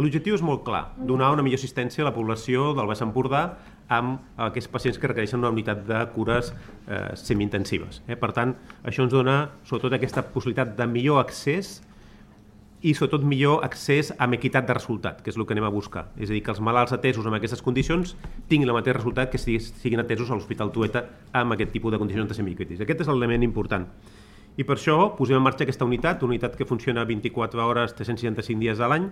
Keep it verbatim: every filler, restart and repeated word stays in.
L'objectiu és molt clar, donar una millor assistència a la població del Baix Empordà amb aquests pacients que requereixen una unitat de cures eh, semi-intensives. Eh? Per tant, això ens dona sobretot aquesta possibilitat de millor accés i sobretot millor accés amb equitat de resultat, que és el que anem a buscar. És a dir, que els malalts atesos en aquestes condicions tinguin el mateix resultat que si siguin atesos a l'Hospital Trueta amb aquest tipus de condicions de semicrítics. Aquest és l'element important. I per això posem en marxa aquesta unitat, una unitat que funciona vint-i-quatre hores, tres-cents seixanta-cinc dies a l'any,